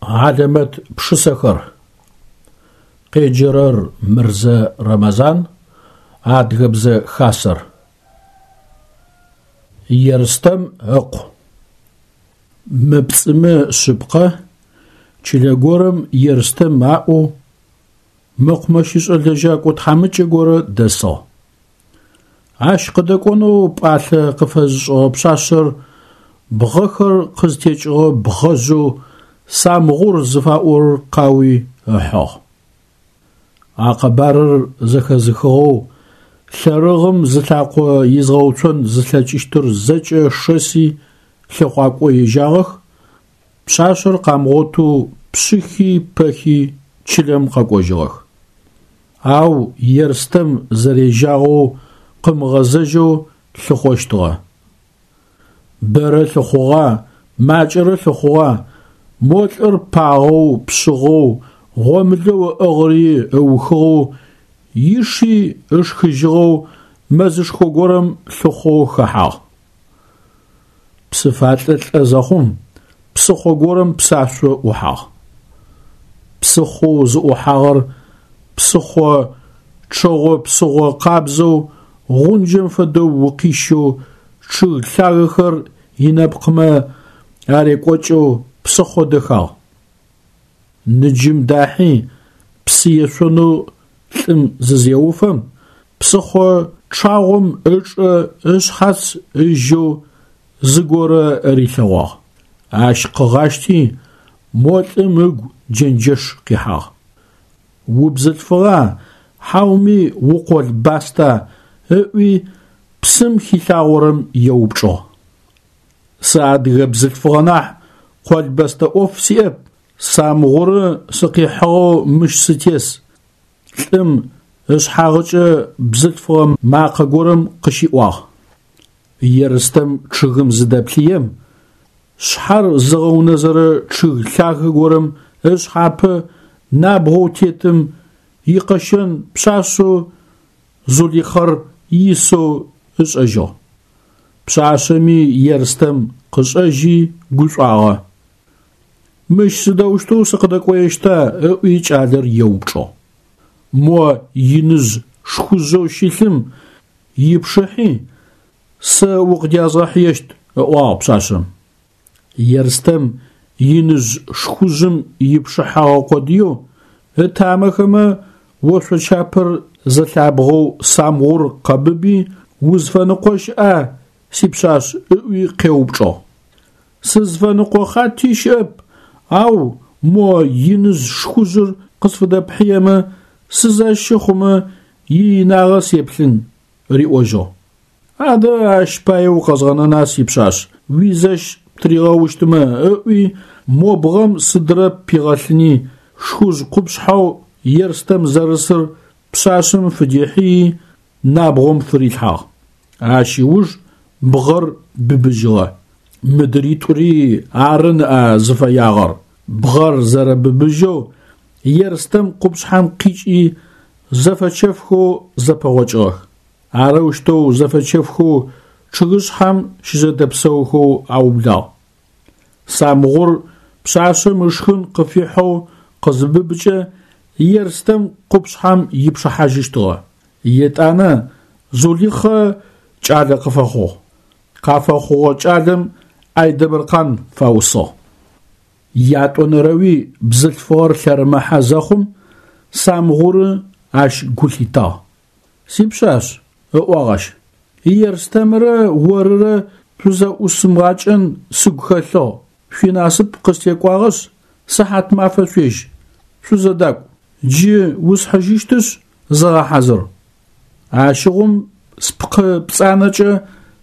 Хьалэмэт пшысэхэр. Къеджэрэр Мырзэ Рэмэзан, Адыгэбзэ Хасэр. Ерстэм ыкъу. Мыпцӏымэ шъыпкъэ, чылэ горэм Ерстэм аӏоу мэкъумэщышӏэ лэжьакӏо тхьамыкӏэ горэ дэсыгъ. Ащ къыдэкӏонэу пӏалъэ къыфэзышӏыгъэ пшъашъэр бгъэхэр къызтекӏыгъэ бгъэжъэу Самгъур зыфаӏорэр къауи ыхьыгъ. А къэбарыр зэхэзыхыгъэу лъэрыгъым зылъакъо изгъэуцон зылъэкӏыщтыр зэкӏэ шэси лъыхъуакӏо ежьагъэх, пшъашъэр къамыгъотэу пшъыхи пэхи чылэм къэкӏожьыгъэх. Ау Ерстэм зэрежьагъэу къымыгъэзэжьэу лъыхъощтыгъэ. Бэрэ лъыхъугъа, макӏэрэ лъыхъугъа, мо лӏыр пагъэу, пшъыгъэу, гъомылэу ыӏыгъыри ыухыгъэу, иши ышхыжьыгъэу мэзышхо горэм лъыхъоу хэхьагъ. Псыфалӏэ лӏэ зэхъум, псыхъо горэм псашъо ӏухьагъ. Псыхъоу зыӏухьагъэр псыхъо чъэгъо псыгъо къабзэу, гъунджэм фэдэу укъищэу, чъыг лъагэхэр инэпкъмэ арекӏокӏэу псыхъо дэхагъ. Ныджым дахьи, псы ешъонэу лӏым зызеуфэм, псыхъо чъагъом ычӏэ ышъхьац ыжьэу зыгорэ рилъэгъуагъ. Ащ къыгъащти, мо лӏым ыгу джэнджэш къихьагъ. Убзылъфыгъа, хьауми укъолбаста? ыӏуи псым хилъагъорэм еупчӏыгъ. Сыадыгэ бзылъфыгъэ нахь, къолбэстэ ӏоф сиӏэп, Самгъуры сыкъихьыгъэу мыщ сытес, лӏым ышъхьагъыкӏэ бзылъфыгъэ макъэ горэм къыщиӏуагъ. Ерстэм чъыгым зыдэплъыем, шъхьэр зыгъэунэзэрэ чъыг лъагэ горэм ышъхьапэ набгъоу тетым икъэщэн пшъашъэу Зулихъэр исэу ышӏэжьыгъ. Пшъашъэми Ерстэм къышӏэжьи гушӏуагъэ. Мыщ сыдэущтэу сыкъыдэкӏоещта? ыӏуи кӏалэр еупчӏыгъ. Мо иныжъ шхужъэу щылъым ипшыхьи, сэ укъыдязгъэхьыещт, ыӏуагъ пшъашъэм. Ерстэм иныжъ шхужъым ипшыхьэгъэ къодыеу, ытамэхэмэ ошъочапэр зэлъабгъэу Самгъур къэбыби, узфэныкъо щыӏа, сипшъашъ, ыӏуи къеупчӏыгъ. Сызфэныкъо хъати щыӏэп, ау мо иныжъ шхужъыр къысфыдэпхьыемэ, сызэщы хъумэ, иинагъэ сеплъын, риӏожьыгъ. Адэ ащ пае укъэзгъэнэна, сипшъашъ, уизэщ птыригъэущтмэ, ыӏуи, мо бгъэм сыдрэ пигъэлъыни, шхужъ къупшъхьэу Ерстэм зэрысыр пшъашъэм фыдихьыи, набгъом фырилъхьагъ. Ащ ыуж бгъэр быбыжьыгъэ. Мыдритӏури ары ныӏа зыфэягъэр. Бгъэр зэрэбыбыжьэу Ерстэм къупшъхьэм къикӏи зэфэчэфхэу зэпэгъокӏыгъэх. Арэущтэу зэфэчэфхэу чъыгышъхьэм щызэдэпсэухэу аублагъ. Самгъур пшъашъэм ышхын къыфихьэу къызыбыбыкӏэ, Ерстэм къупшъхьэм ипшыхьажьыщтыгъэ. Етӏанэ Зулихъэ кӏалэ къыфэхъугъ. Къафэхъугъэ кӏалэм Айдэмыркъан фаусыгъ. Ятӏонэрэуи бзылъфыгъэр лъэрымыхьэ зэхъум, Самгъуры ащ гу лъитагъ. Сипшъашъ, ыӏуагъ ащ, Ерстэмрэ орырэ шъузэӏусымыгъакӏэн сыгу хэлъыгъ, шъуинасып къыстекӏуагъэшъ, сыхьат мафэ шъуежь, шъузэдакӏу, джы усхьыжьыщтышъ, зыгъэхьазыр. Ащыгъум спкъы пцӏанэкӏэ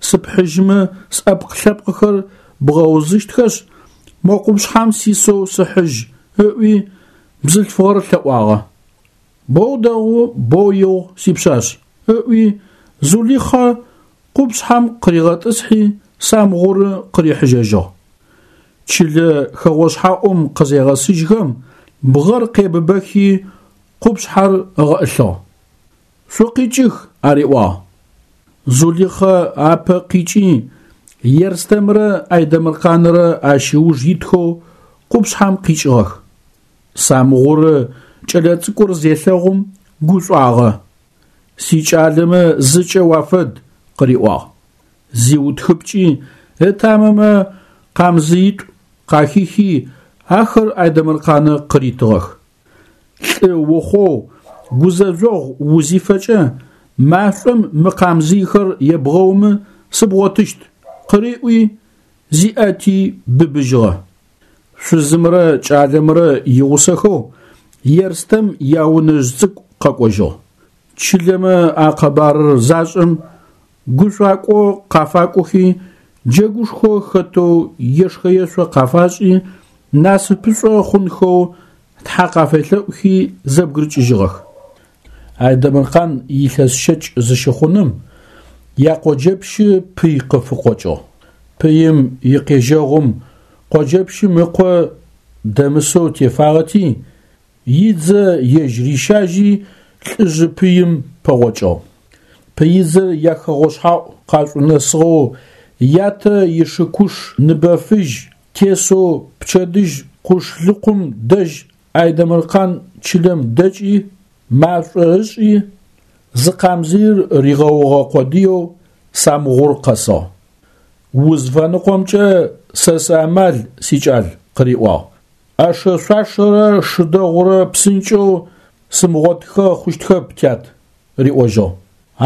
сыпхьыжьымэ сӏэпкъ-лъэпкъыхэр бгъэузыщтхэшъ, мо къупшъхьэм сисэу сыхьыжь, ыӏуи, бзылъфыгъэр лъэӏуагъэ. Боу дэгъу, боу игъу, сипшъашъ, ыӏуи, Зулихъэ къупшъхьэм къыригъэтӏысхьи, Самгъуры къырихьыжьэжьыгъ. Чылэ хэгъошъхьаӏум къызегъэсыжьхэм, бгъэр къебыбэхи, къупшъхьэр ыгъэӏылъыгъ. Шъукъикӏых, ариӏуагъ. Зулихъэ апэ къикӏи, Ерстэмрэ Айдэмыркъанрэ ащ ыуж итхэу. къупшъхьэм къикӏыгъэх. Самгъуры кӏэлэцӏыкӏур зелъэгъум гушӏуагъэ. Сикӏалэмэ зыкӏэ уафэд, къыриӏуагъ. Зиутхыпкӏи ытамэмэ къамзыитӏу къахихи, ахэр Айдэмыркъанэ къыритыгъэх. Лӏы ухъоу гузэжъогъу узифэкӏэ, машӏом мы къамзыйхэр ебгъэумэ сыбгъотыщт, къыриӏуи, зиӏэти быбыжьыгъэ. Шъузымрэ кӏалэмрэ игъусэхэу Ерстэм яунэжъ цӏыкӏу къэкӏожьыгъ. Чылэмэ а къэбарыр зашӏэм, гушӏуакӏо къафакӏохи, джэгушхо хэтэу ешхэ-ешъо къафашӏи, насыпышӏо хъунхэу Тхьэ къафелъэӏухи зэбгырыкӏыжьыгъэх. Айдэмыркъан илъэс щэкӏ зыщыхъуным якъоджэпщы пый къыфыкъокӏыгъ. Пыим икъежьэгъум къоджэпщым ыкъо дэмысэу тефагъэти, идзэ ежь рищажьи лӏыжъы пыим пэгъокӏыгъ. Пыидзэр яхэгъошъхьаӏу къашӏунэсыгъэу ятэ ишыкуш ныбэфыжь тесэу пчэдыжь къушлыкъум дэжь Айдэмыркъан чылэм дэкӏи, машӏо ышӏи, зы къамзыир ригъэугъэ къодыеу Самгъур къэсыгъ. Узфэныкъомкӏэ сэ сыамал, сикӏал, къыриӏуагъ. ӏэшэ-шъуашэрэ шы дэгъурэ псынкӏэу сымыгъотыхэ хъущтхэп, тят, риӏожьыгъ.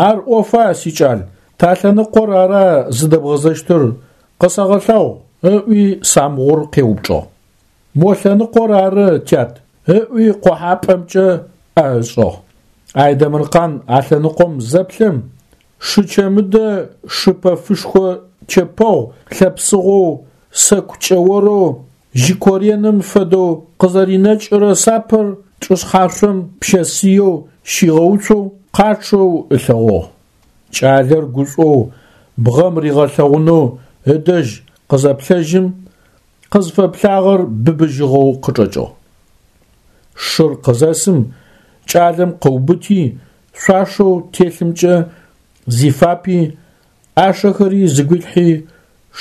Ар ӏофа, сикӏал, талъэныкъор ара зыдэбгъэзэщтыр, къысэгъэлъэгъу, ыӏуи Самгъур къеупчӏыгъ. Мо лъэныкъор ары, тят, ыӏуи къохьапӏэмкӏэ ӏэ ышӏыгъ. Айдэмыркъан а лъэныкъом зэплъэм, шы чэмыдэ шы пэфышхо чэпэгъу лъэпсыгъоу сэку кӏэорэу жьыкореным фэдэу къызэринэкӏырэ сапэр чӏышъхьашъом пщэсыеу щигъэуцоу къачъэу ылъэгъугъ. Кӏалэр гушӏоу бгъэм ригъэлъэгъунэу ыдэжь къызэплъэжьым, къызфэплъагъэр быбыжьыгъэу къычӏэкӏыгъ. Шыр къызэсым, кӏалэм къыубыти, шъуашэу телъымкӏэ зифапи, ӏашэхэри зыгуилъхьи,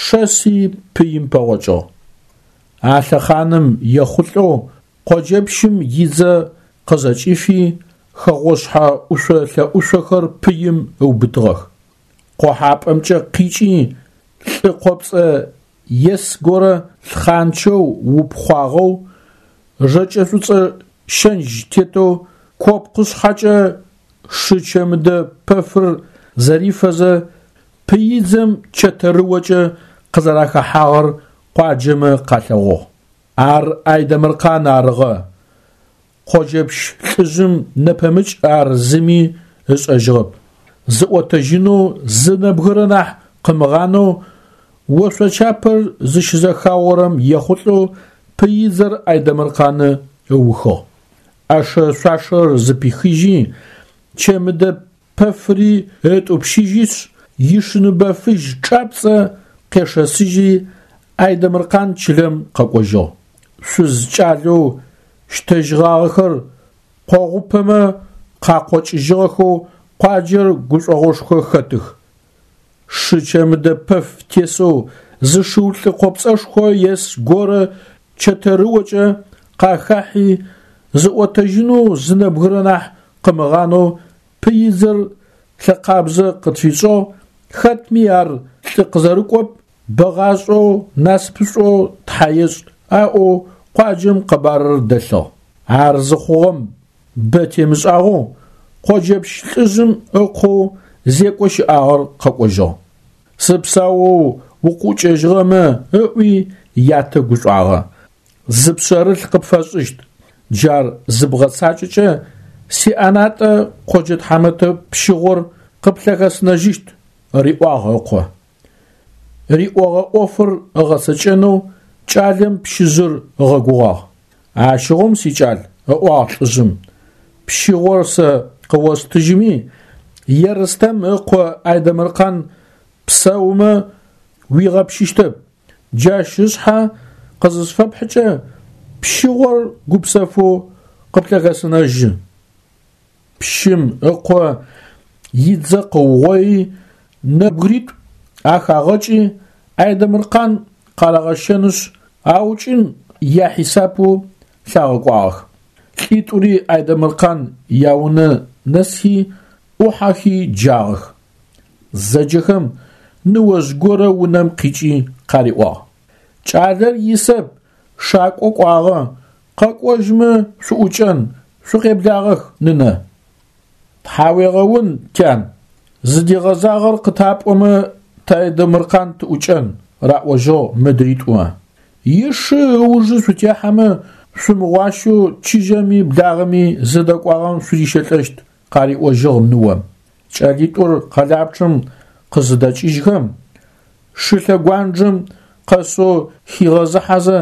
шэси пыим пэгъокӏыгъ. А лъэхъаным ехъулӏэу къоджэпщым идзэ къызэкӏифи, хэгъошъхьэ ӏушъо-лъэӏушъохэр пыим ыубытыгъэх. Къохьапӏэмкӏэ къикӏи, лӏы къопцӏэ ес горэ лъхъанчэу упхъуагъэу, жэкӏэ шӏуцӏэ щэндж тетэу копкъышъхьэкӏэ шы чэмыдэ пэфыр зэрифэзэ, пыидзэм чэтэрыокӏэ къызэрахэхьагъэр къуаджэмэ къалъэгъугъ. Ар Айдэмыркъан арыгъэ. Къоджэпщ лӏыжъым нэпэмыкӏ ар зыми ышӏэжьыгъэп. Зыӏотэжьынэу зы нэбгырэ нахь къымыгъанэу ошъочапэр зыщызэхаорэм ехъулӏэу пыидзэр Айдэмыркъаны ыухыгъ. ӏэшэ-шъуашэр зыпихыжьи, чэмыдэ пэфыри ытӏупщыжьишъ, ишыныбэ фыжь чӏапцӏэ къешэсыжьи, Айдэмыркъан чылэм къэкӏожьыгъ. Шъуз кӏалэу щтэжьыгъагъэхэр къогъупэмэ къакъокӏыжьыгъэхэу къуаджэр гушӏогъошхо хэтых. Шы чэмыдэ пэф тесэу зы шыу лӏы къопцӏэшхо ес горэ чэтэрыокӏэ къахахьи, зыӏотэжьынэу зы нэбгырэ нахь къымыгъанэу пыидзэр лъэкъабзэ къытфишӏыгъ, хэтми ар лӏы къызэрыкӏоп, бэгъашӏэу, насыпышӏоу Тхьэ ешӏ, аӏоу къуаджэм къэбарыр дэлъыгъ. Ар зыхъугъэм бэ темышӏагъэу къоджэпщ лӏыжъым ыкъоу зекӏо щыӏагъэр къэкӏожьыгъ. Сыпсаоу укъыӏукӏэжьыгъэмэ ыӏуи ятэ гушӏуагъэ. Зы пшъэрылъ къыпфэсшӏыщт, джар зыбгъэцакӏэкӏэ сиӏэнатӏэ къоджэ тхьамэтэ пщыгъор къыплъэхэсынэжьыщт, риӏуагъ ыкъо. Риӏогъэ ӏофыр ыгъэцэкӏэнэу кӏалэм пщыжъыр ыгъэгугъагъ. Ащыгъум, сикӏал, ыӏуагъ лӏыжъым, пщыгъор сэ къыостыжьыми, Ерстэм ыкъо Айдэмыркъан псэумэ уигъэпщыщтэп, джащ ышъхьэ къызысфэпхьыкӏэ, пщыгъор гупсэфэу къыплъэхэсынэжьы. Пщым ыкъо идзэ къыугъои, нэбгыритӏу ахагъэкӏи, Айдэмыркъан къарагъэщэнышъ, аукӏын яхьисапэу лъагъэкӏуагъэх. Лӏитӏури Айдэмыркъан яунэ нэсхи, ӏухьэхи джагъэх. Зэджэхэм ныожъ горэ унэм къикӏи къариӏуагъ: «Кӏалэр исэп, шакӏо кӏуагъэ, къэкӏожьмэ шъуӏукӏэн, шъукъеблагъэх, нынэ». Тхьауегъэун, тян, зыдигъэзагъэр къытапӏомэ тэ Айдэмыркъан тыӏукӏэн, раӏожьыгъ мыдритӏумэ. Ишы ыужы шъутехьэмэ, шъумыгъуащэу чыжьэми благъэми зыдэкӏуагъэм шъурищэлӏэщт, къариӏожьыгъ ныом. Кӏэлитӏур къэлапчъэм къызыдэкӏыжьхэм, шылъэгуанджэм къэсэу хигъэзыхьэзэ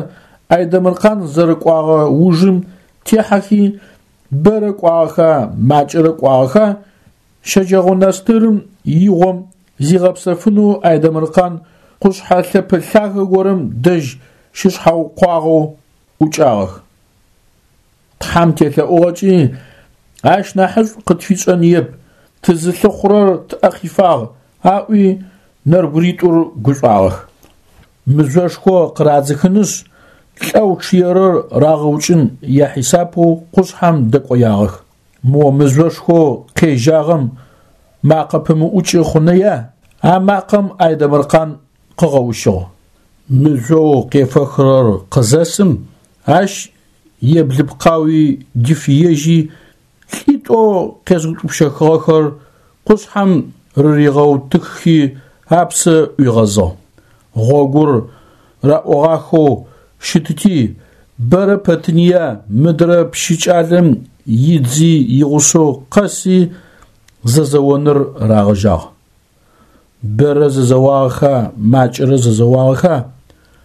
Айдэмыркъан зэрыкӏуагъэ ужым техьэхи, бэрэ кӏуагъэха, макӏэрэ кӏуагъэха, щэджэгъонэстырым игъом зигъэпсэфынэу Айдэмыркъан къушъхьэ лъэпэ лъагэ горэм дэжь щышъхьаукъуагъэу ӏукӏагъэх. Тхьэм телъэӏугъэкӏи, ащ нахьышӏу къытфишӏэныеп, тызылъыхъурэр тӏэ къифагъ, аӏуи нэбгыритӏур гушӏуагъэх. Мыжъошхо къырадзыхынышъ, лӏэу чъыерэр рагъэукӏын яхьисапэу къушъхьэм дэкӏоягъэх. Мо мыжъошхоу къежьагъэм макъэ пымыӏукӏы хъуныя? А макъэм Айдэмыркъан къыгъэущыгъ. Мыжъоу къефэхырэр къызэсым, ащ еблыпкъауи дифыежьи, лӏитӏоу къезыутӏупщэхыгъэхэр къушъхьэм рыригъэутыххи апсэ ӏуигъэзыгъ. Гъогур раӏогъахэу щытыти, бэрэ пэтыныя мыдрэ пщы кӏалэм идзи игъусэу къэси зэзэоныр рагъэжьагъ. Бэрэ зэзэуагъэха, макӏэрэ зэзэуагъэха,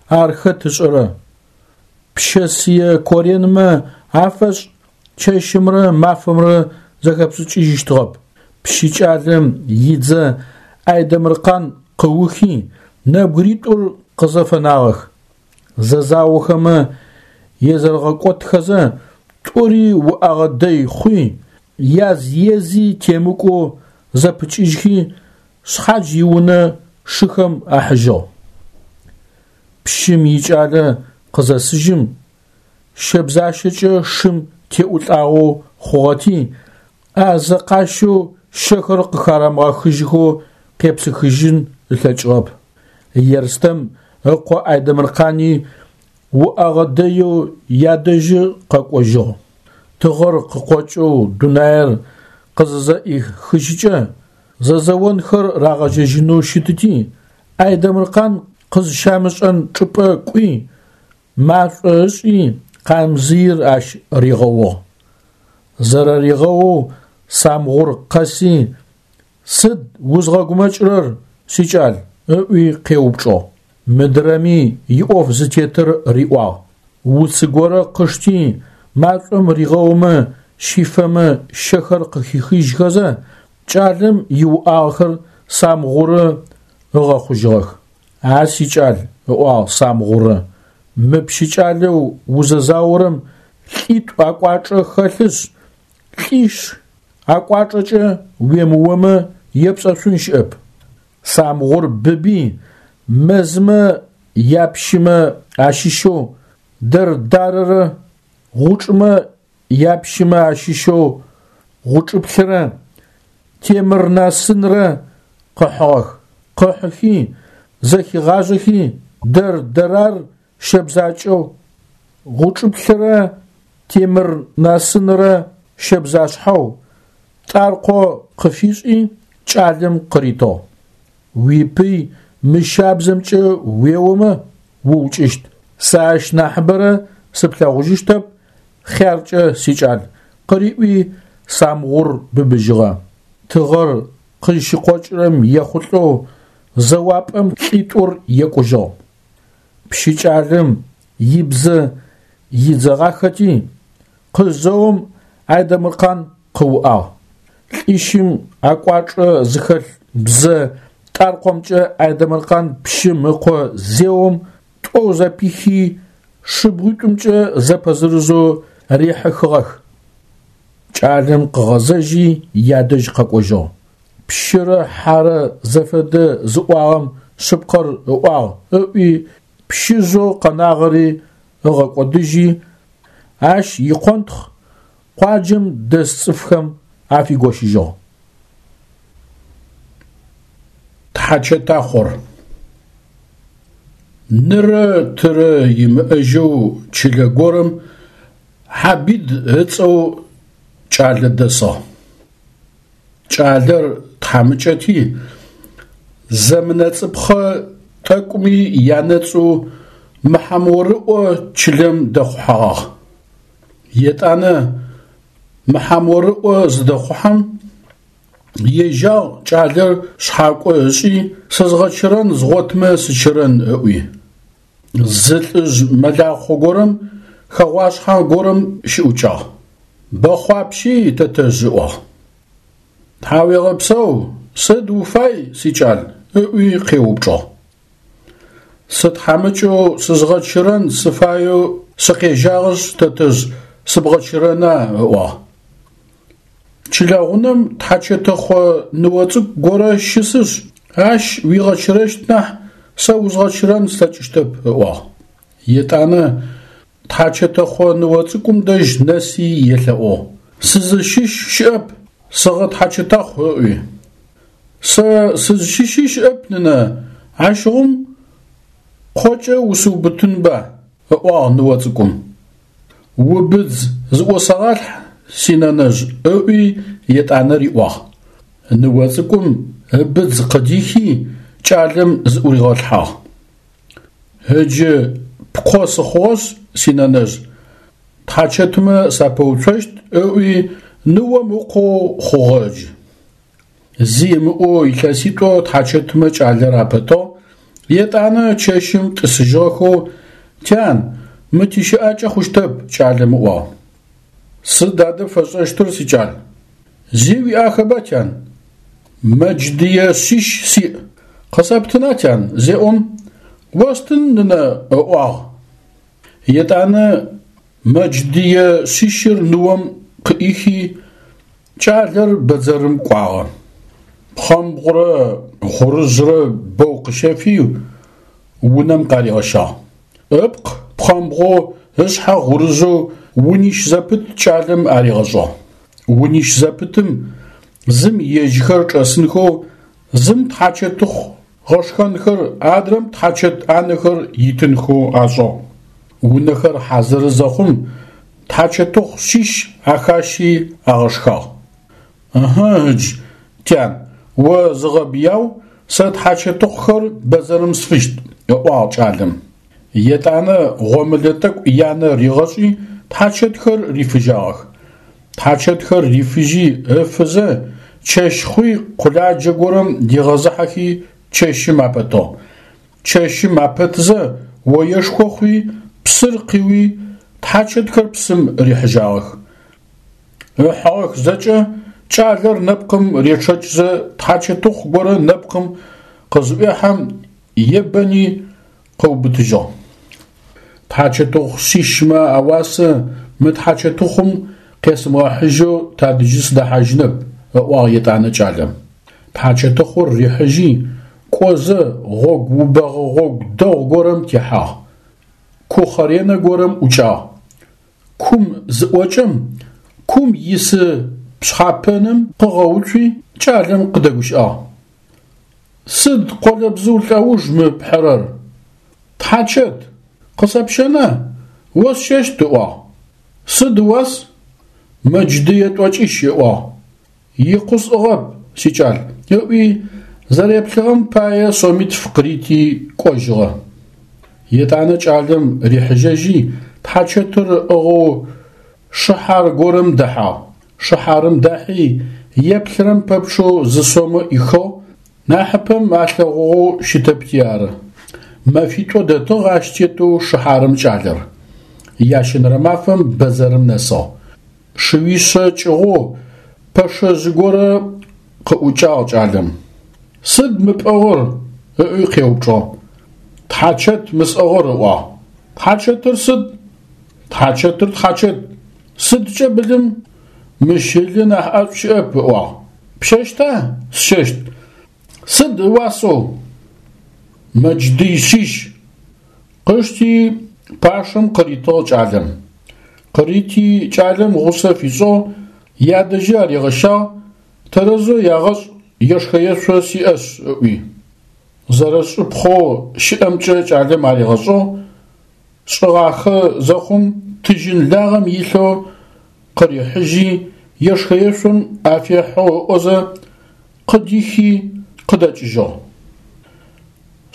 ар хэт ышӏэрэ? Пщэсые коренмэ афэшӏ чэщымрэ мафэмрэ зэхэпшӏыкӏыжьыщтыгъэп. Пщы кӏалэм идзэ Айдэмыркъан къыухи, нэбгыритӏур къызэфэнагъэх. Зэзаохэмэ езэрэгъэкӏотхэзэ, тӏури уӏэгъэ дэй хъуи, яз ези темыкӏоу зэпыкӏыжьхи, шъхьадж иунэ шыхэм ахьыжьыгъ. Пщым икӏалэ къызэсыжьым, щэбзащэкӏэ шым теӏулӏагъэу хъугъэти, ӏазэ къащэу щэхэр къыхарамыгъэхыжьхэу къепсыхыжьын ылъэкӏыгъэп. Ерстэм ыкъо Айдэмыркъани уӏэгъэ дэеу ядэжьы къэкӏожьыгъ. Тыгъэр къыкъокӏэу дунаир къызызэӏихыжькӏэ, зэзэонхэр рагъэжьэжьынэу щытыти, Айдэмыркъан къызщамышӏэн чӏыпӏэ кӏуи, машӏо ышӏи, къамзыир ащ ригъэугъ. Зэрэригъэоу Самгъур къэси, «Сыд узгъэгумэкӏырэр, сикӏал?» ыӏуи къеупчӏыгъ. Мыдрэми иӏоф зытетыр риӏуагъ. Уц горэ къышти, машӏом ригъэумэ, щифэмэ щэхэр къыхихыжьхэзэ, кӏалэм иуӏагъэхэр Самгъурэ ыгъэхъужьыгъэх. «А сикӏал, ыӏуагъ Самгъурэ, мы пщы кӏалэу узэзаорэм лӏитӏу акӏуачӏэ хэлъышъ, лӏищ акӏуачӏэкӏэ уемыомэ епшӏэшъун щыӏэп. Самгъур быби, мэзмэ япщымэ ащыщэу Дэрдарэрэ гъучӏмэ япщымэ ащыщэу Гъучӏыплърэ Темырнасынрэ къыхьыгъэх. Къыхьыхи, зэхигъажэхи, Дэрдэрар щэбзакӏэу, Гъучӏыплърэ Темырнасынрэ щэбзашъхьэу, Тӏаркъо къыфишӏи, кӏалэм къыритыгъ. Уипый мы щабзэмкӏэ уеомэ, уукӏыщт. Сэ ащ нахьыбэрэ сыплъэгъужьыщтэп, хъяркӏэ, сикӏал, къыриӏуи, Самгъур быбыжьыгъэ. Тыгъэр къызщыкъокӏырэм ехъулӏэу зэуапӏэм лӏитӏур екӏужьыгъ. Пщы кӏалэм ибзэ идзэгъахэти, къызэом Айдэмыркъан къыуӏагъ. Лӏищым акӏуачӏэ зыхэлъ бзэ тӏаркъомкӏэ Айдэмыркъан пщым ыкъо зеом тӏоу зэпихи, шыбгъуитӏумкӏэ зэпэзырызэу рихьыхыгъэх. Кӏалэм къыгъэзэжьи ядэжь къэкӏожьыгъ. Пщырэ хьэрэ зэфэдэ зыӏуагъэм шъыпкъэр ыӏуагъ ыӏуи, пщыжъэу къэнагъэри ыгъэкӏодыжьи, ащ икъонтхъ къуаджэм дэс цӏыфхэм афигощыжьыгъ. Тхьачэтахъор. Нырэ тырэ имыӏэжьэу чылэ горэм Хьабид ыцӏэу кӏалэ дэсыгъ. Кӏалэр тхьамыкӏэти, зэмынэцӏыпхъэ тӏэкӏуми янэцӏэу Мыхьаморыӏо чылэм дэхъухьэгъагъ. Етӏанэ Мыхьаморыӏо зыдэхъухьэм, ежьагъ кӏалэр шъхьакӏо ышӏи, сызгъэчырэн згъотмэ сычырэн ыӏуи. Зы лӏыжъ мэлахъо горэм хэгъуашъхьэ горэм щыӏукӏагъ. Бэхъуапщи, тэтэжъ, ыӏуагъ. Тхьауегъэпсэу, сыд уфай, сикӏал? ыӏуи къеупчӏыгъ. Сытхьамыкӏэу сызгъэчырэн сыфаеу сыкъежьагъэшъ, тэтэжъ, сыбгъэчырэна? ыӏуагъ. Чылэгъунэм тхьачэтыхъо ныо цӏыкӏу горэ щысышъ, ащ уигъэчырэщт нахь, сэ узгъэчырэн слъэкӏыщтэп, ыӏуагъ. Етӏанэ тхьачэтэхъо ныо цӏыкӏум дэжь нэси елъэӏугъ: Сызыщыщ щыӏэп, сыгъэтхьачэтэхъу, ыӏуи. Сэ сызщыщи щыӏэп, нынэ, ащыгъум кхъокӏэ усыубытынба, ыӏуагъ ныо цӏыкӏум. Убыдз зыӏосэгъалъхь, синэнэжъ, ыӏуи етӏанэ риӏуагъ. Ныо цӏыкӏум ыбыдз къыдихи, кӏалэм зыӏуригъэлъхьагъ. Ыджы пкъо сыхъугъэшъ, синэнэжъ, тхьачэтмэ сапэуцощт, ыӏуи ныом ыкъоу хъугъэ ыджы. Зи ымыӏоу илъэситӏо тхьачэтмэ кӏалэр апэтыгъ, етӏанэ чэщым тӏысыжьыгъэхэу, Тян, мы тищыӏакӏэ хъущтэп, кӏалэм ыӏуагъ. Сыд адэ пфэсшӏэщтыр, сикӏал? Зи уиӏахэба, тян? Мэдждые шъищ сиӏ. Къысэптына, тян? зеӏом, Остын, нынэ, ыӏуагъ. Етӏанэ мэдждые шъищыр ныом къыӏихи, кӏалэр бэдзэрым кӏуагъэ. Пхъэмбгъурэ гъурыжърэ бэу къыщэфи, унэм къаригъэщагъ. Ыпкъ пхъэмбгъоу, ышъхьэ гъурыжъэу унищ зэпыт кӏалэм аригъэшӏыгъ. Унищ зэпытым зым ежьхэр чӏэсынхэу, зым тхьачэтыхъу гъэшхэнхэр, адрэм тхьачэт ӏанэхэр итынхэу ашӏыгъ. Унэхэр хьазыры зэхъум, тхьачэтыхъу шъищ ахащи агъэшхагъ. Ыхьы, ыдж, тян, о зыгъэбыяу, сэ тхьачэтыхъухэр бэдзэрым сфыщт, ыӏуагъ кӏалэм. Етӏанэ гъомылэ тӏэкӏу янэ ригъэшӏи, тхьачэтхэр рифыжьагъэх. Тхьачэтхэр рифыжьи ыфызэ, чэщ хъуи къуладжэ горэм дигъэзыхьэхи чэщым апэтыгъ. Чэщым апэтзэ оешхо хъуи, псыр къиуи, тхьачэтхэр псым рихьыжьагъэх. Ыхьыгъэх зэкӏэ, кӏалэр нэпкъым речъэкӏзэ тхьачэтыхъу горэ нэпкъым къызыӏуехьэм, ебэни къыубытыжьыгъ. Тхьачэтыхъу шъищмэ ауасэ мы тхьачэтыхъум къесымыгъэхьыжьэу тадэжьы сыдэхьажьынэп, ыӏуагъ етӏанэ кӏалэм. Тхьачэтыхъур рихьыжьи, кӏозэ гъогу убэгъэ гъогу дэгъу горэм техьагъ. Кухъэренэ горэм ӏукӏагъ. Кум зыӏокӏэм, кум исы пшъхьапэным къыгъэуцуи, кӏалэм къыдэгущыӏагъ. Сыд къолэбзыу лӏэуж мы пхьырэр? Тхьачэт, къысэпщэна? Осщэщт, ыӏуагъ. Сыд ыуас? Мэдждые тӏокӏищ, ыӏуагъ. Икъу сӏыгъэп, сикӏал, ыӏуи, зэреплъыгъэм пае сомитф къырити кӏожьыгъэ. Етӏанэ кӏалэм рихьыжьэжьи, тхьачэтыр ыӏыгъэу шыхьар горэм дэхьагъ. Шыхьарым дахьи, еплъырэм пэпчъэу зы сомэ ӏихыгъ, нахьыпэм алъэгъугъэу щытэпти ары. Мэфитӏо дэтыгъ ащ тетэу шыхьарым кӏалэр. Ящэнэрэ мафэм бэдзэрым нэсыгъ. Шыуишъэ кӏыгъоу пэшэжъ горэ къыӏукӏагъ кӏалэм. Сыд мы пӏыгъыр? ыӏуи къеупчӏыгъ. Тхьачэт мы сӏыгъыр, ыӏуагъ. Тхьачэтыр сыд? Тхьачэтыр тхьачэт. Сыдкӏэ былым? Мыщ ылы нахь ӏэшӏу щыӏэп, ыӏуагъ. Пщэщта? Сщэщт. Сыд ыуасэу? Мэдждый шъищ. Къышти, Пашэм къыритыгъ кӏалэм. Къырити кӏалэм гъусэ фишӏыгъ, ядэжьи аригъэщагъ, тэрэзэу ягъэшӏ ешхэ-ешъо сиӏэшъ ыӏуи. Зэрэшӏыпхъэу щыӏэмкӏэ кӏалэм аригъэшӏыгъ, шӏыгъахэ зэхъум тыжьын лагъэм илъэу къырихьыжьи, ешхэ-ешъом афехьэу ыӏозэ, къыдихи къыдэкӏыжьыгъ.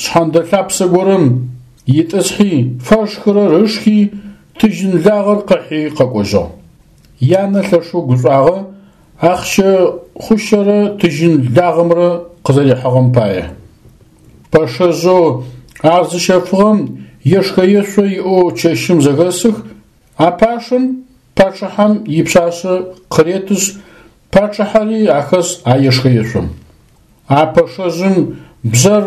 Шъхьэндэ лъапсэ горэм итӏысхьи, фэшхырэр ышхи, тыжьын лагъэр къыхьи къэкӏожьыгъ. Янэ лъэшэу гушӏуагъэ, ахъщэ хъущэрэ тыжьын лагъэмрэ къызэрихьыгъэм пае. Пэшэжъэу ар зыщэфыгъэм ешхэ-ешъо иӏэу чэщым зэхэсых, а пашэм пачъыхьэм ипшъашъэ къыретышъ, пачъыхьэри ахэс а ешхэ-ешъом. А пэшэжъым бжъэр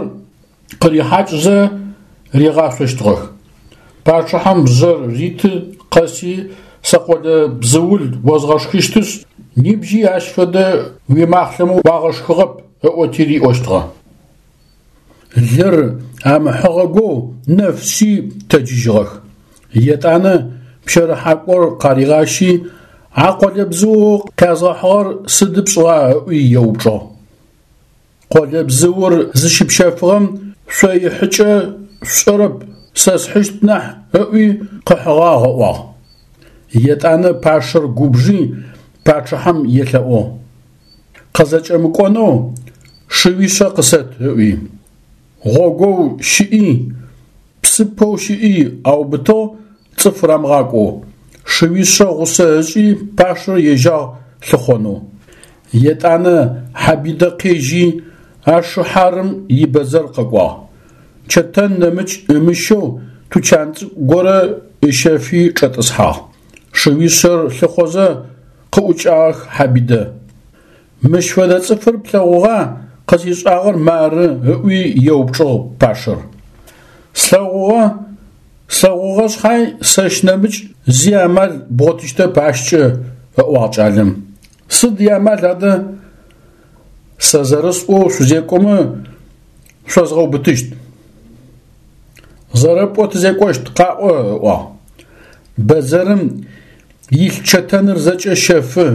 къырихьакӏзэ ригъашъощтыгъэх. Пачъыхьэм бжъэр риты къэси сэ къолэбзыул озгъэшхыщтышъ, нибжьи ащ фэдэ уимахълъэмэ уагъэшхыгъэп ыӏоти риӏощтыгъэ. Лыр амыхьыгъэгоу нэф шъи тэджыжьыгъэх. Етӏанэ пщэрыхьакӏор къаригъащи, а къолэбзыоу къязгъэхьыгъэр сыды пшӏыгъа ыӏуи еупчӏыгъ. Къолэбзыур зыщыпщэфыгъэм шъоихьыкӏэ шъушӏэрэп, сэ схьыщт нахь ыӏуи къыхьыгъагъ ыӏуагъ. Етӏанэ пашэр губжи пачъыхьэм елъэӏугъ. Къызэкӏэмыкӏонэу шыуишъэ къысэт ыӏуи. Гъогоу щыӏи, псыпэу щыӏи аубытыгъ цӏыф рамыгъакӏоу. Шыуишъэ гъусэ ышӏи пашэр ежьагъ лъыхъонэу. Етӏанэ Хьабидэ къежьи Ашыхьарым ибэдзэр къэкӏуагъ. Чэтэн нэмыкӏ ымыщэу тучан цӏыкӏу горэ ыщэфи чӏэтӏысхьагъ. Шыуишъэр лъыхъозэ къыӏукӏагъэх Хьабидэ. Мыщ фэдэ цӏыфыр плъэгъугъа, къысишӏагъэр мары, ыӏуи еупчӏыгъ пашэр. Слъэгъугъэ, слъэгъугъэ шъхьай сэщ нэмыкӏ зи амал бгъотыщтэп ащкӏэ, ыӏуагъ кӏалэм. Сыд иамал адэ? Сэ зэрэсӏоу шъузекӏомэ, шъозгъэубытыщт. Зэрэпӏоу тызекӏощт, къаӏо, ыӏуагъ. Бэдзэрым илъ чэтэныр зэкӏэ щэфы,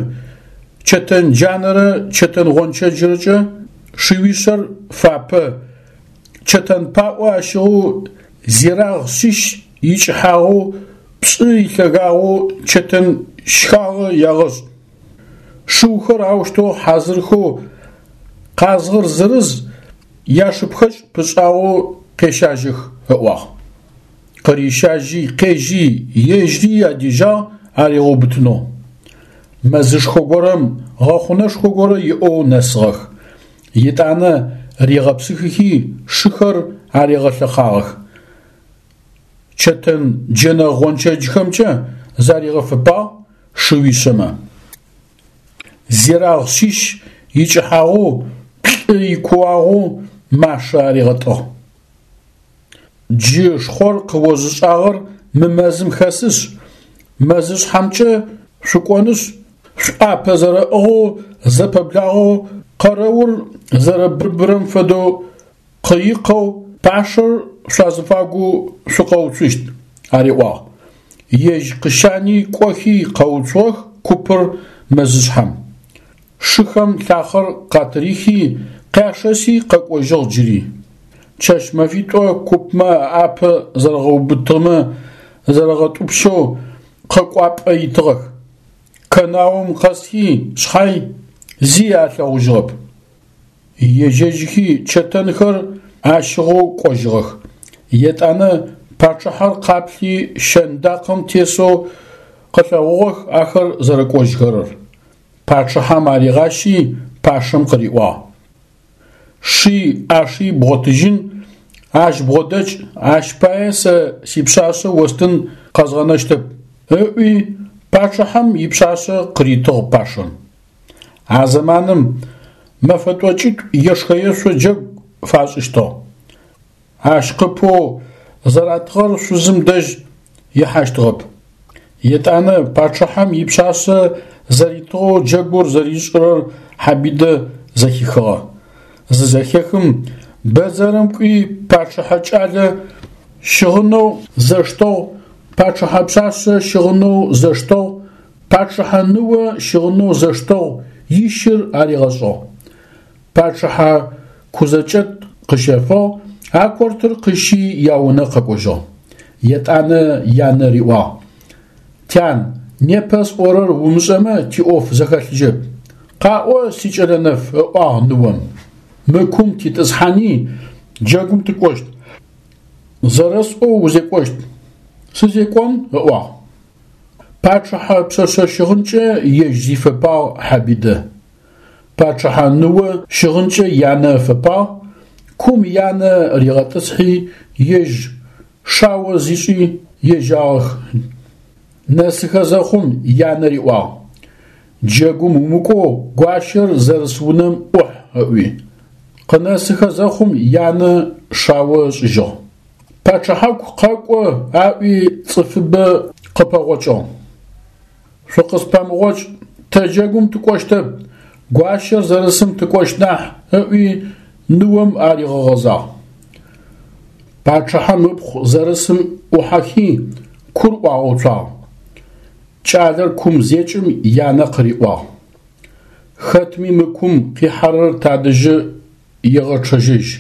чэтэн джанэрэ чэтэн гъончэджрэкӏэ шыуишъэр фапэ, чэтэн паӏо ащыгъэу зирагъ шъищ икӏыхьагъэу пшӏы илъэгагъэу чэтэн щхагъэ ягъэшӏ. Шыухэр аущтэу хьазырхэу къазгъыр зырыз яшыпхэкӏ пышӏагъэу къещажьэх, ыӏуагъ. Къырищажьи, къежьи, ежьри адежьагъ аригъэубытынэу. Мэзышхо горэм гъэхъунэшхо горэ иӏэу нэсыгъэх. Етӏанэ ригъэпсыхыхи шыхэр аригъэлъэхъагъэх. Чэтэн джэнэ гъончэджхэмкӏэ заригъэфэпагъ шыуишъэмэ. Зирагъ шъищ икӏыхьагъэу, плӏы икууагъэу машэ аригъэтӏыгъ. Джы шхъор къыозышӏагъэр мы мэзым хэсышъ, мэзышъхьэмкӏэ шъукӏонышъ, шъуӏапэ зэрэӏыгъэу зэпэблагъэу къэрэур зэрэбыбырэм фэдэу къыикъэу пашэр шъуазыфагу шъукъэуцущт, ариӏуагъ. Ежь къыщани кӏохи къэуцугъэх купыр мэзышъхьэм. Шыхэм лъахъэр къатырихи, къяшэси къэкӏожьыгъ джыри. Чэщ-мэфитӏо купмэ аӏапэ зэрэгъэубытымэ зэрэгъэтӏупщэу къэкӏуапӏэ итыгъэх. Кэнаум къэсхи шъхьай зи алъэгъужьыгъэп. Ежьэжьхи чэтэнхэр ащыгъэу кӏожьыгъэх. Етӏанэ пачъыхьэр къаплъи щэндакъэм тесэу къылъэгъугъэх ахэр зэрэкӏожьхэрэр. Пачъыхьэм аригъащи пашэм къыриӏуагъ: Ши ӏаши бгъотыжьын, ащ бгъодэкӏ, ащ пае сэ сипшъашъэ остын къэзгъэнэщтэп, ыӏуи пачъыхьэм ипшъашъэ къыритыгъ пашэм. А зэманым мэфэ тӏокӏитӏу ешхэ-ешъо джэгу фашӏыщтыгъ. Ащ къыпэу зэратыгъэр шъузым дэжь ихьащтыгъэп. Етӏанэ пачъыхьэм ипшъашъэ зэритыгъэу джэгур зэришӏырэр Хьабидэ зэхихыгъэ. Зызэхехым, бэдзэрым кӏуи пачъыхьэ кӏалэ щыгъынэу зэштэгъу. Пачъыхьэ пшъашъэ щыгъынэу зэштэгъу, пачъыхьэ ныо щыгъынэу зэштэгъу ищыр аригъэшӏыгъ. Пачъыхьэ кузэкӏэт къыщэфыгъ, а кортыр къыщи яунэ къэкӏожьыгъ. Етӏанэ янэ риӏуагъ: Тян, непэ сӏорэр умышӏэмэ тиӏоф зэхэлъыжьэп. Къаӏо, сикӏэлэ нэф, ыӏуагъ ныом. Мы кум титӏысхьани, джэгум тыкӏощт. Зэрэсӏоу узекӏощт. Сызекӏон, ыӏуагъ. Пачъыхьэ пшъэшъэ щыгъынкӏэ ежь зифэпагъ Хьабидэ. Пачъыхьэ ныо щыгъынкӏэ янэ ыфэпагъ, кум янэ ригъэтӏысхьи, ежь шао зишӏи ежьагъэх. Нэсыхэ зэхъум янэ риӏуагъ: Джэгум умыкӏоу гуащэр зэрыс унэм ӏухь, ыӏуи. Къынэсыхэ зэхъум янэ шао ышӏыжьыгъ. Пачъыхьаку къэкӏо аӏуи цӏыфыбэ къыпэгъокӏыгъ. Шъукъыспэмыгъокӏ, тэ джэгум тыкӏощтэп, гуащэр зэрысым тыкӏощт нахь, ыӏуи ныом аригъэгъэзагъ. Пачъыхьэм ыпхъу зэрысым ӏухьэхи, кур ӏуагъэуцуагъ. Кӏалэр кум зекӏым янэ къыриӏуагъ: Хэтми мы кум къихьэрэр тадэжьы егъэчъэжьыжь.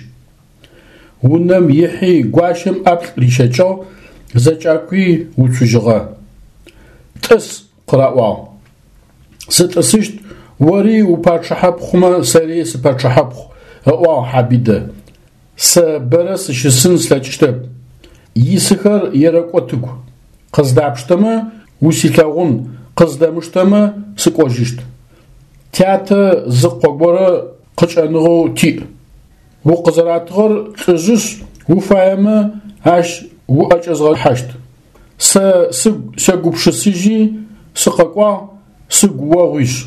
Унэм ихьи гуащэм ӏаплӏ рищэкӏыгъ, зэкӏакӏуи уцужьыгъэ. Тӏыс, къыраӏуагъ. Сытӏысыщт, ори упачъыхьэпхъумэ сэри сыпачъыхьэпхъу, ыӏуагъ Хьабидэ. Сэ бэрэ сыщысын слъэкӏыщтэп. Исыхэр ерэкӏо тыгу. Къыздапштэмэ, усилъэгъун, къыздэмыштэмэ, сыкӏожьыщт. Тятэ зы къо горэ къыкӏэныгъэу тиӏ. Укъызэратыгъэр лӏыжъышъ, уфаемэ, ащ уӏэкӏэзгъэхьащт. Сэ сыгу сегупшысыжьи, сыкъэкӏуагъ, сыгу огъуишъ.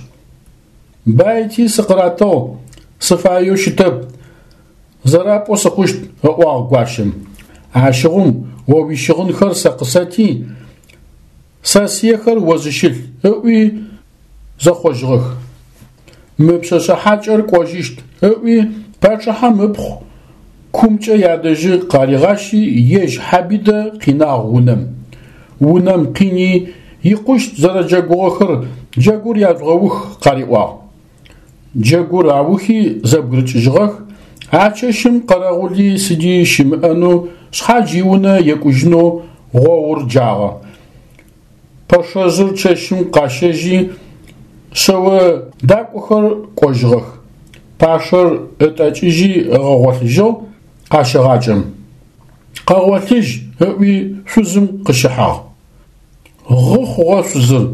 Байти сыкъыратыгъ, сыфаеу щытэп, зэрапӏо сыхъущт, ыӏуагъ гуащэм. Ащыгъум о уищыгъынхэр сэ къысэти, сэсыехэр о зыщылъ, ыӏуи зэхъожьыгъэх. Мы пшъэшъэ хьакӏэр кӏожьыщт, ыӏуи пачъыхьэм ыпхъу кумкӏэ ядэжьы къаригъащи, ежь Хьабидэ къинагъ унэм. Унэм къини, икъущт зэрэджэгугъэхэр джэгур яжъугъэух къариӏуагъ. Джэгур аухи зэбгырыкӏыжьыгъэх, а чэщым къэрэгъули сыди щымыӏэнэу шъхьадж иунэ екӏужьынэу гъоур джагъэ. Пэшэжъыр чэщым къащэжьи, шъэо дакӏохэр кӏожьыгъэх. Пашэр ытӏэкӏыжьи ыгъэгъолъыжьыгъ къащэгъакӏэм. Къэгъолъыжь, ыӏуи шъузым къыщыхьагъ. Гъы хъугъэ шъузыр.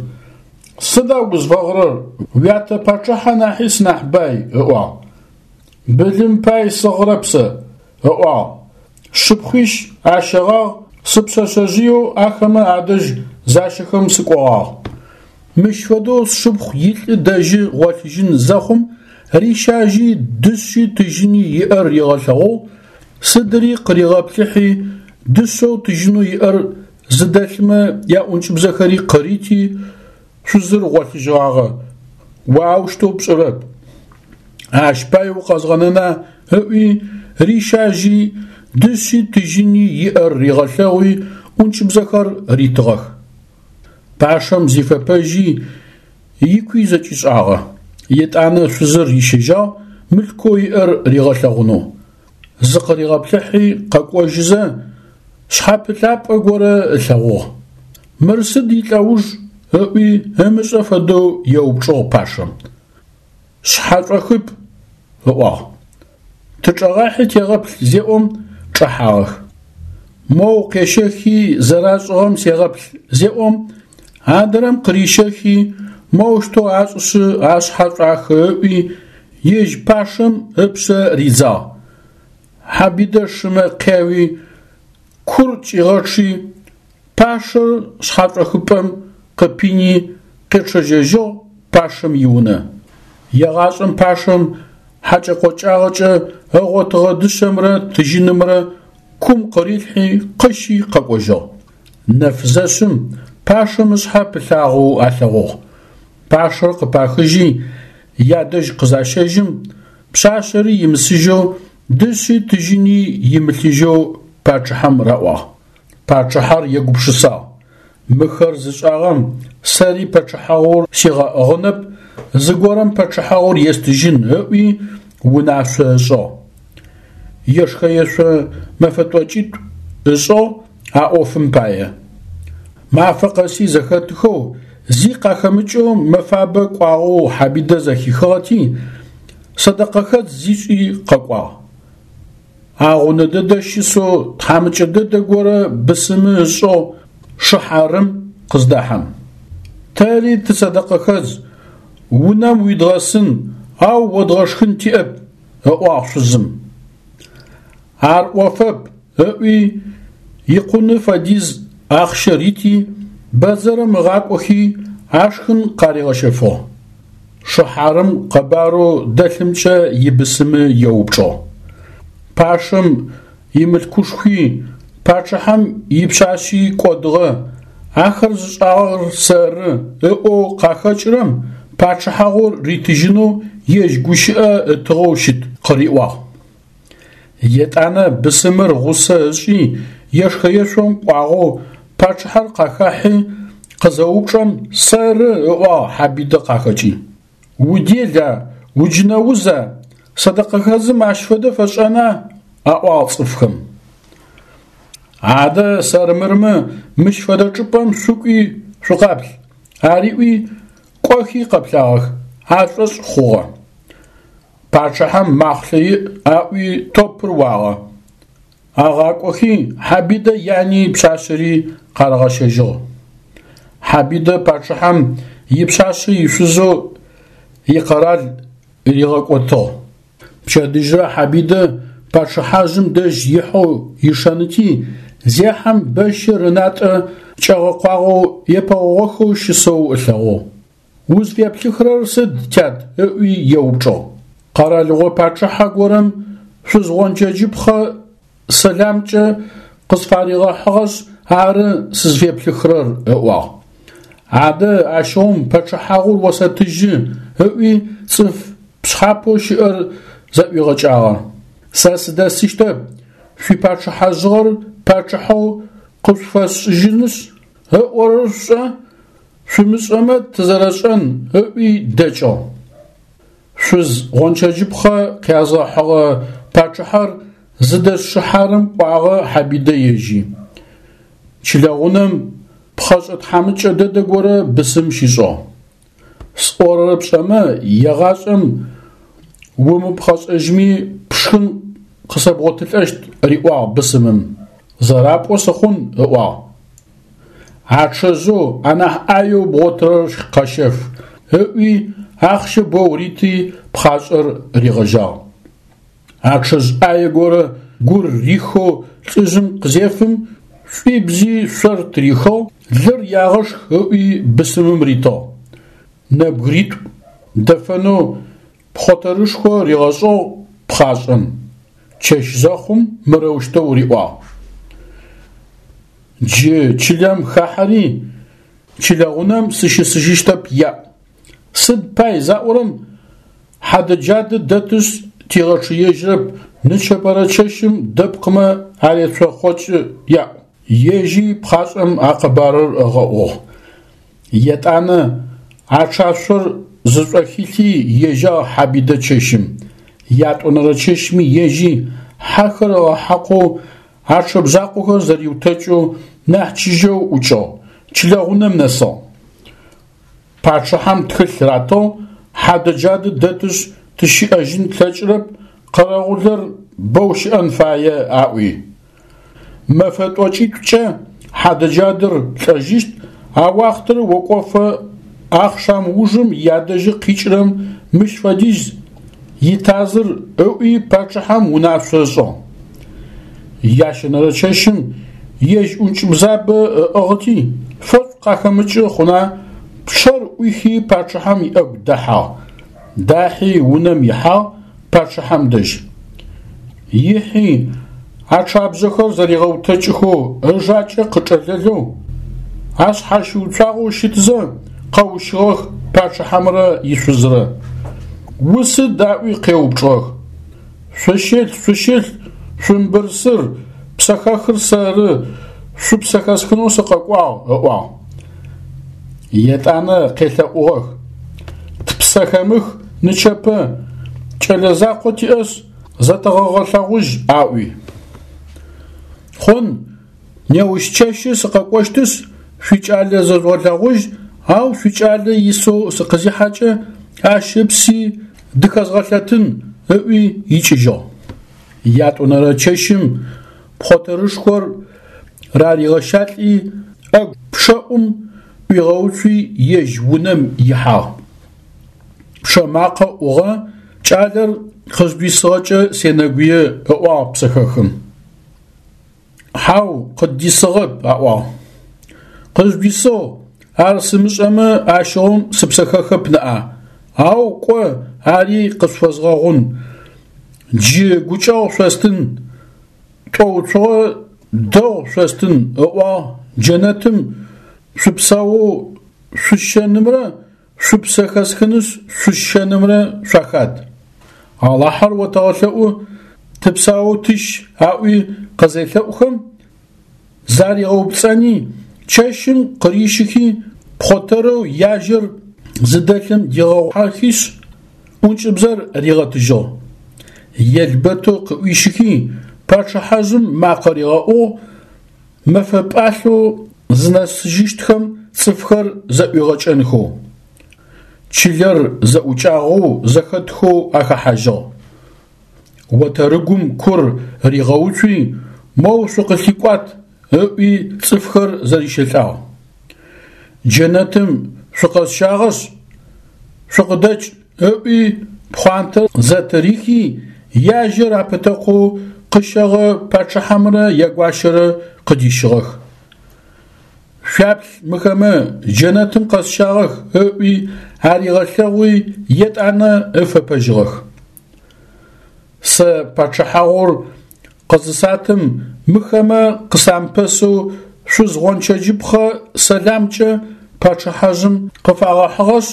Сыда узфэгъырэр, уятэ пачъыхьэ нахьи сынахь бай, ыӏуагъ. Былым пай сыгъырэп сэ, ыӏуагъ. Сшыпхъуищ ащэгъагъ, сыпшъэшъэжъыеу ахэмэ адэжь защэхэм сыкӏогъагъ. Мыщ фэдэу сшыпхъу илӏы дэжьы гъолъыжьын зэхъум, рищажьи дышъи тыжьыни иӏэр ригъэлъэгъугъ, сыдыри къыригъэплъыхьи, дышъэу тыжьынэу иӏэр зыдэлъмэ яӏункӏыбзэхэри къырити, шъузыр гъолъыжьыгъагъэ, о аущтэу пшӏырэп. Ащ пай укъэзгъэнэна ыӏуи, рищажьи, дышъи тыжьыни иӏэр ригъэлъэгъуи, ӏункӏыбзэхэр ритыгъэх. Пашэм зифэпэжьи, икуи зэкӏишӏагъэ. Етӏанэ шъузыр рищэжьагъ, мылъкоу иӏэр ригъэлъэгъунэу. Зыкъыригъэплъыхьи къэкӏожьызэ, шъхьэпылъапӏэ горэ ылъэгъугъ. Мыр сыд илӏэуж? ыӏуи ымышӏэ фэдэу еупчӏыгъ пашэм. Шъхьэшӏохыпӏ, ыӏуагъ. Тычӏэгъахьи тегъэплъ зеӏом, чӏэхьагъэх. Моу къещэхи зэрашӏыгъэм сегъэплъ зеӏом, адрэм къырищэхи, моущтэу ашӏышъы ашъхьэ шӏуахы ыӏуи, ежь пашэм ыпшъэ ридзагъ. Хьабидэ шымэ къяуи, кур кӏигъэчъи, пашэр шъхьэшӏохыпӏэм къыпини къечъэжьэжьыгъ пашэм иунэ. Егъашӏэм пашэм хьакӏэ-къокӏагъэкӏэ ыгъотыгъэ дышъэмрэ тыжьынымрэ кум къырилъхьи къыщи къэкӏожьыгъ. Нэф зэшъым пашэм ышъхьэ пылъагъэу алъэгъугъ. Пашэр къыпахыжьи ядэжь къызащэжьым, пшъашъэри имысыжьэу, дышъи тыжьыни имылъыжьэу пачъыхьэм раӏуагъ. Пачъыхьэр егупшысагъ. Мыхэр зышӏагъэм сэри пачъыхьагъур сигъэӏыгъынэп, зыгорэм пачъыхьагъур естыжьын, ыӏуи унашъо ышӏыгъ. Ешхэ-ешъо мэфэ тӏокӏитӏу ышӏыгъ а ӏофым пае. Мафэ къэси зэхэтыхэу, зи къахэмыкӏэу мэфабэ кӏуагъэу Хьабидэ зэхихыгъэти, сэдэкъэхэдз зишӏи къэкӏуагъ. Агъунэ дэдэ щысэу тхьамыкӏэ дэдэ горэ бысымы ышӏэу шыхьарым къыздэхьэм. Тэри тысэдэкъэхэдз, унэм уидгъэсын, ау одгъэшхын тиӏэп, ыӏуагъ шъузым. Ар ӏофэп, ыӏуи, икъуны фэдиз ахъщэ рити, бэдзэрым ыгъакӏохи, ашхын къаригъэщэфыгъ. Шыхьарым къэбарэу дэлъымкӏэ ибысымы еупчӏыгъ. Пашэм имылъкушхуи, пачъыхьэм ипшъашъи кӏодыгъэ, ахэр зышӏагъэр сэры ыӏоу къахэкӏырэм пачъыхьагъур ритыжьынэу ежь гущыӏэ ытыгъэу щыт, къыриӏуагъ. Етӏанэ бысымыр гъусэ ышӏи, ешхэ-ешъом кӏуагъэу пачъыхьэр къахахьи, къызэупчӏэм, сэры ыӏуагъ Хьабидэ къахэкӏи. Удела, уджынэуза, сэдэкъэхэдзым ащ фэдэ фэшӏэна? Аӏуагъ цӏыфхэм. Адэ сэрмырмэ мыщ фэдэ чӏыпӏэм шъукӏуи шъукъаплъ, ариӏуи, кӏохи къэплъагъэх, ашӏошъ хъугъэ. Пачъыхьэм махълъэ иӏ аӏуи топыр уагъэ. Агъакӏохи Хьабидэ яни пшъашъэри къарагъэщэжьыгъ. Хьабидэ пачъыхьэм ипшъашъэ ишъузэу икъэрал ригъэкӏотыгъ. Пчэдыжьрэ Хьабидэ пачъыхьажъым дэжь ихьэу ишэныти, зехьэм бэщыр ынатӏэ кӏэгъэкъуагъэу епэгъогъохэу щысэу ылъэгъугъ. Узфеплъыхырэр сыд, тят? ыӏуи еупчӏыгъ. Къэралыгъо пачъыхьэ горэм шъуз гъончэджыпхъэ сэламкӏэ къысфаригъэхьыгъэшъ ары сызфеплъыхырэр, ыӏуагъ. Адэ ащыгъум пачъыхьагъур осэтыжьы, ыӏуи цӏыф пшъхьапэу щыӏэр зэӏуигъэкӏагъэ. Сэ сыдэсыщтэп, шъуипачъыхьэжъыгъэр пачъыхьэу къышъуфэсшӏыжьынышъ, ыӏорэр шъушӏэ, Шъумышӏэмэ тызэрэшӏэн, ыӏуи дэкӏыгъ. Шъуз гъончэджыпхъэ къязгъэхьыгъэ пачъыхьэр зыдэс шыхьарым кӏуагъэ Хьабидэ ежьи. Чылэгъунэм пхъэшӏэ тхьамыкӏэ дэдэ горэ бысым щишӏыгъ. Сӏорэр пшӏэмэ, егъашӏэм умыпхъэшӏэжьми пшхын къысэбгъотылӏэщт, риӏуагъ бысымым. Зэрапӏоу сыхъун, ыӏуагъ. Ачъэжъэу анахь ӏаеу бгъотырэр къэщэф, ыӏуи ахъщэ боу рити пхъашӏэр ригъэжьагъ. Ачъэжъ ӏае горэ гур рихэу лӏыжъым къызефым, шӏуибзи шъор тырихыгъ, лыр ягъэшх ыӏуи бысымым ритыгъ. Нэбгыритӏу дэфэнэу пхъотэрышхо ригъэшӏыгъ пхъашӏэм. Чэщ зэхъум мырэущтэу риӏуагъ. Джы чылэм хахьэри, чылэгъунэм сыщысыжьыщтэп яӏу. Сыд пай заӏорэм, хьадэ-джадэ дэтышъ тигъэчъыежьрэп, нычэпэрэ чэщым дэпкъымэ арецохъокӏы яӏу. Ежьи пхъашӏэм а къэбарыр ыгъэӏугъ. Етӏанэ ачъашъор зышӏохилъи ежьагъ Хьабидэ чэщым. Ятӏонэрэ чэщми ежьи, хьэхэр ыгъэхьакъоу, ачъэ бжъакъохэр зэриутэкӏэу нахь чыжьэу ӏукӏыгъ, чылэгъунэм нэсыгъ. Пачъыхьэм тхылъ ратыгъ, хьадэ-джадэ дэтышъ тыщыӏэжьын тлъэкӏырэп, къэрэгъулэр бэу щыӏэн фае, аӏуи. Мэфэ тӏокӏитӏукӏэ хьадэ-джадэр лӏэжьыщт, а уахътэр окӏофэ ахъшам ужым ядэжьы къикӏырэм мыщ фэдиз итазыр ыӏуи пачъыхьэм унашъо ышӏыгъ. Ящэнэрэ чэщым ежь ӏункӏыбзабэ ыӏыгъыти, фэшӏу къахэмыкӏы хъуна, пчъэр ӏуихи пачъыхьэм иӏэгу дэхьагъ. Дахьи унэм ихьагъ пачъыхьэм дэжь. Ихьи, ачъабжъэхэр зэригъэутэкӏыхэу ыжакӏэ къычӏэлэлэу, ашъхьащыуцуагъэу щытзэ, къэущыгъэх пачъыхьэмрэ ишъузрэ. Усыд аӏуи къеупчӏыгъэх. Шъущылъ, шъущылъ, шъумыбырсыр, псэхэхыр сэры, шъупсэ хэсхынэу сыкъэкӏуагъ, ыӏуагъ. Етӏанэ къелъэӏугъэх: Тпсэ хэмых нычэпэ, кӏэлэ закъо тиӏэшъ, зэтэгъэгъэлъэгъужь, аӏуи. Хъун, неущ чэщы сыкъэкӏощтышъ, шъуикӏалэ зэжъугъэлъэгъужь, ау шъуикӏалэ исэу сыкъызихьэкӏэ, ащ ыпси дыхэзгъэлъэтын, ыӏуи икӏыжьыгъ. Ятӏонэрэ чэщым пхъотэрышхор раригъэщалӏи, ӏэгу пчъэӏум ӏуигъэуцуи ежь унэм ихьагъ. Пчъэ макъэ ӏугъэ, кӏалэр къыздисыгъэкӏэ сенэгуе, ыӏуагъ псэхэхым. Хьау, къыддисыгъэп, аӏуагъ. Къыжъудисыгъ, ар сымышӏэмэ ащыгъум сыпсэхэхэп ныӏа, ау кӏо, ари къышъуфэзгъэгъун. Джы гукӏэгъу шъостын, тӏоуцугъэ дэгъу шъостын, ыӏуагъ джэнэтым шъупсэоу шъусщэнымрэ шъупсэ хэсхынышъ шъусщэнымрэ шъуахад. Алахьэр отэгъэлъэӏу, тыпсаоу тыщ, аӏуи къызелъэӏухэм, заригъэупцӏэни, чэщым къырищыхи, пхъотэрэу яжьэр зыдэлъым дигъэхьахишъ, ӏункӏыбзэр ригъэтыжьыгъ. Елбэтэу къыӏуищыхи, пачъыхьэжъым макъэ ригъэӏугъ, мэфэ пӏалъэу зынэсыжьыщтхэм цӏыфхэр зэӏуигъэкӏэнхэу. Чылэр зэӏукӏагъэу зэхэтхэу ахэхьажьыгъ. Отэрыгум кур ригъэуцуи, моу шъукъылъикӏуат, ыӏуи цӏыфхэр зэрищэлӏагъ. Джэнэтым шъукъэсщагъэшъ, шъукъыдэкӏ, ыӏуи пхъуантэр зэтырихи, яжьэр апытэкъоу къыщэгъэ пачъыхьэмрэ ягуащэрэ къыдищыгъэх. Шъуаплъ мыхэмэ джэнэтым къэсщагъэх, ыӏуи аригъэлъэгъуи, етӏанэ ыфэпэжьыгъэх. Сэ пачъыхьагъур къызысатым мыхэмэ къысамыпэсэу шъуз гъончэджыпхъэ сэламкӏэ пачъыхьэжъым къыфагъэхьыгъэшъ,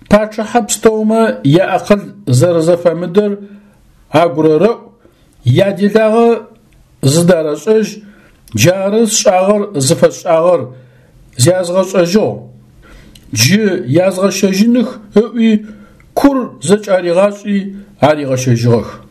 пачъыхьэ пстэумэ яакъыл зэрэзэфэмыдэр агурэрэӏу, яделагъэ зыдарэшӏэжь, джары сшӏагъэр зыфэсшӏагъэр, зязгъэшӏэжьыгъ, джы язгъэщэжьыных ыӏуи, кур зэкӏаригъашӏи аригъэщэжьыгъэх.